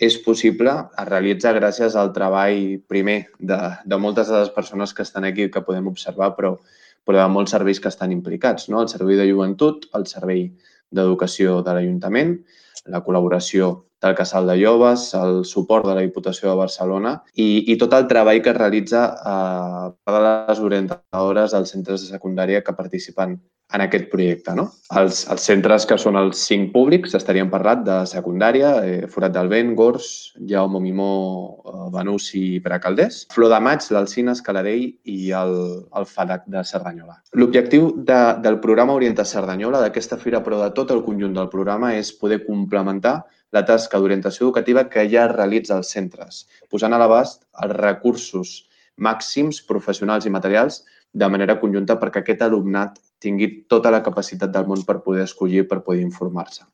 és possible, es realitza gràcies al treball primer de moltes de les persones que estan aquí que podem observar, però de molts serveis que estan implicats, no? El servei de joventut, el servei d'educació de l'Ajuntament, la col·laboració del Casal de Joves, el suport de la Diputació de Barcelona i tot el treball que es realitza per les orientadores dels centres de secundària que participen en aquest projecte. No? Els centres que són els 5 públics, estaríem parlant de secundària, Forat del Vent, Gors, Jaume Mimó, Benús i Precalders, Flor de Maig, l'Alzina, Escaladell i el FADAC de Cerdanyola. L'objectiu del programa Orienta Cerdanyola, d'aquesta fira, però de tot el conjunt del programa, és poder complementar la tasca d'orientació educativa que ja es realitza als centres, posant a l'abast els recursos màxims professionals i materials de manera conjunta perquè aquest alumnat tingui tota la capacitat del món per poder escollir, per poder informar-se.